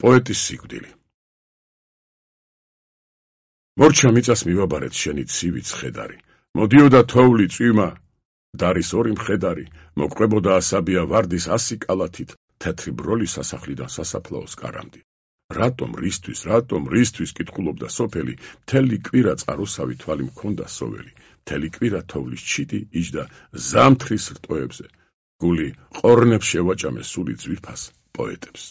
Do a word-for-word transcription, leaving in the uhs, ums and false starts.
პოეტის სიკვდილი. მორჩა მიწას მივაბარეთ შენი ცივი ცხედარი, მოდიოდა თოვლი წვიმა, დარის ორი მხედარი, მოგყვებოდა ასაბია ვარდის ასი კალათით, თეთრი ბროლი სასახლიდან სასაფლაოს კარამდი. რატომ, რისთვის, რატომ, რისთვის კითხულობდა სოფელი, მთელი კვირა წყაროსავი თვალი მქონდა სოველი, მთელი კვირა თოვლის ჩიტი იჯდა ზამთრის რტოებზე, გული ყორნებს შევაჭამე სული ძვირფას პოეტებს.